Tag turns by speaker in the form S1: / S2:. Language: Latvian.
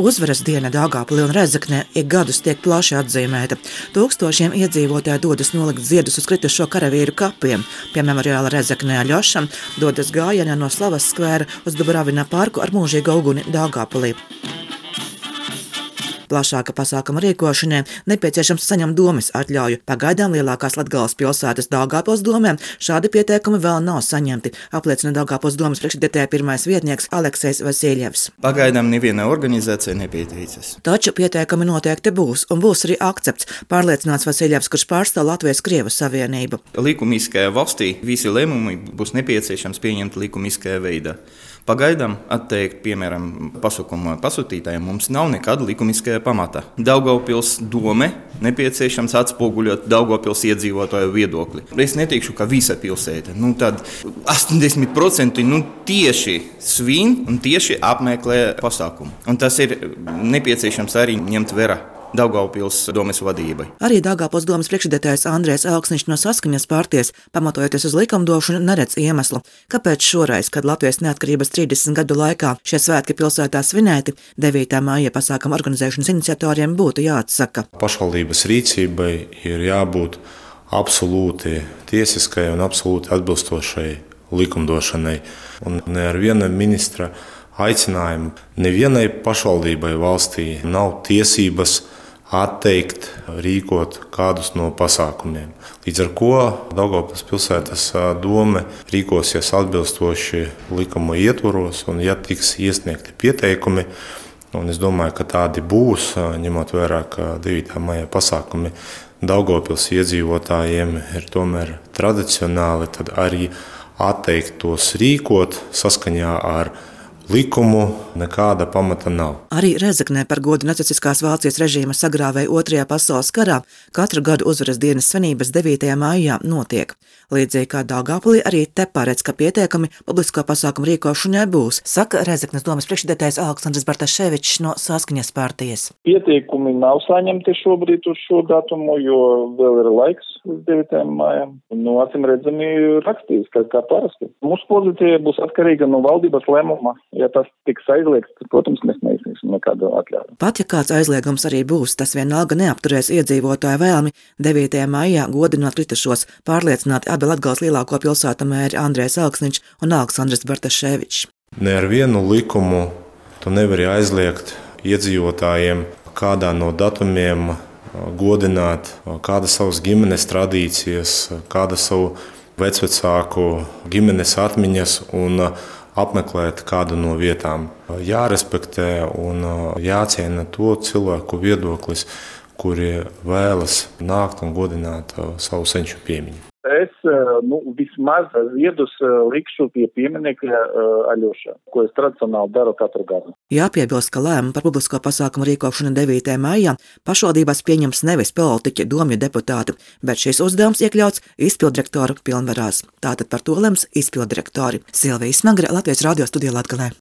S1: Uzvaras diena Daugavpilī un Rēzeknē ik gadus tiek plaši atzīmēta. Tūkstošiem iedzīvotāji dodas nolikt ziedus uz kritušo karavīru kapiem. Pie memoriāla Rēzeknē Aļošam dodas gājienā no Slavas skvēra uz Dubravina parku ar mūžīgu uguni Daugavpilī. Plašāka pasākuma rīkošanai nepieciešams saņemt domes atļauju. Pagaidām lielākās Latgales pilsētas Daugavpils domēm šādi pieteikumi vēl nav saņemti, apliecina Daugavpils domes priekšsēdētāja pirmais vietnieks Aleksejs Vasiljevs.
S2: Pagaidām neviena organizācija nepieteicas.
S1: Taču pieteikumi noteikti būs, un būs arī akcepts, pārliecināts Vasiljevs, kurš pārstāv Latvijas-Krievu savienību.
S2: Likumiskajā valstī visi lēmumi būs nepieciešams pieņemt likumiskajā veidā. Pagaidām atteikt, piemēram, pasūkuma pasūtītājiem mums nav nekāda likumiskajā pamatā. Daugavpils dome nepieciešams atspoguļot Daugavpils iedzīvotāju viedokli. Es neteikšu, ka visa pilsēta, tad 80% tieši svin un tieši apmeklē pasākumu. Un tas ir nepieciešams arī ņemt vērā Daugavpils domes vadībai.
S1: Arī Daugavpils domes priekšsēdētājs Andrejs Elksniņš no Saskaņas partijas, pamatojoties uz likumdošanu, neredz iemeslu, kāpēc šoreiz, kad Latvijas neatkarības 30 gadu laikā šie svētki pilsētā svinēti, 9. māja pasākuma organizēšanas iniciatoriem būtu jāatsaka.
S3: Pašvaldības rīcībai ir jābūt absolūti tiesiskai un absolūti atbilstošai likumdošanai. Un ne ar viena ministra aicinājumu nevienai pašvaldībai valstī nav tiesības atteikt rīkot kādus no pasākumiem. Līdz ar ko Daugavpils pilsētas dome rīkosies atbilstoši likuma ietvaros, un ja tiks iesniegti pieteikumi, un es domāju, ka tādi būs, ņemot vērā, ka 9. maija pasākumi Daugavpils iedzīvotājiem ir tomēr tradicionāli, tad arī atteikt tos rīkot saskaņā ar likumu nekāda pamata nav.
S1: Arī Rēzeknē par godu nacistiskās Vācijas režīma sagrāvēja 2. pasaules karā katru gadu uzvaras dienas svinības 9. maijā notiek. Līdzīgi kā Daugavpilī, arī te paredz, ka pieteikumi publisko pasākumu rīkošanai būs, saka Rēzeknes domes priekšsēdētājs Aleksandrs Bartaševičs no Saskaņas partijas.
S4: Pieteikumi nav saņemti šobrīd uz šo datumu, jo vēl ir laiks uz 9. maijam. Acīm redzami rakstīs, kā parasti. Mūsu pozīcija būs atkarīga no valdības lēmuma. Ja tas tiks aizliegts, tad, protams, mēs neizsniegsim nekādu atļauju.
S1: Pat ja kāds aizliegums arī būs, tas vienalga neapturēs iedzīvotāju vēlmi 9. maijā godināt kritušos, pārliecināti abi Latgales lielāko pilsētu mēri Andrejs Elksniņš un Aleksandrs Bartaševičs.
S3: Ne ar vienu likumu tu nevari aizliegt iedzīvotājiem kādā no datumiem godināt kāda savas ģimenes tradīcijas, kāda savu vecvecāku ģimenes atmiņas un apmeklēt kādu no vietām. Jārespektē un jāciena to cilvēku viedoklis, kuri vēlas nākt un godināt savu senču piemiņu.
S4: Es vismaz ziedus likšu pie pieminekļa Aļošā, ko es tradicionāli daru katru gadu.
S1: Jāpiebilst, ka lēmumu par publisko pasākumu rīkošanu 9. maijā pašvaldībās pieņems nevis politiķi, domju deputāti, bet šis uzdevums iekļauts izpilddirektoru pilnvarās. Tātad par to lems izpilddirektori. Silvija Smagre, Latvijas radio studija Latgalē.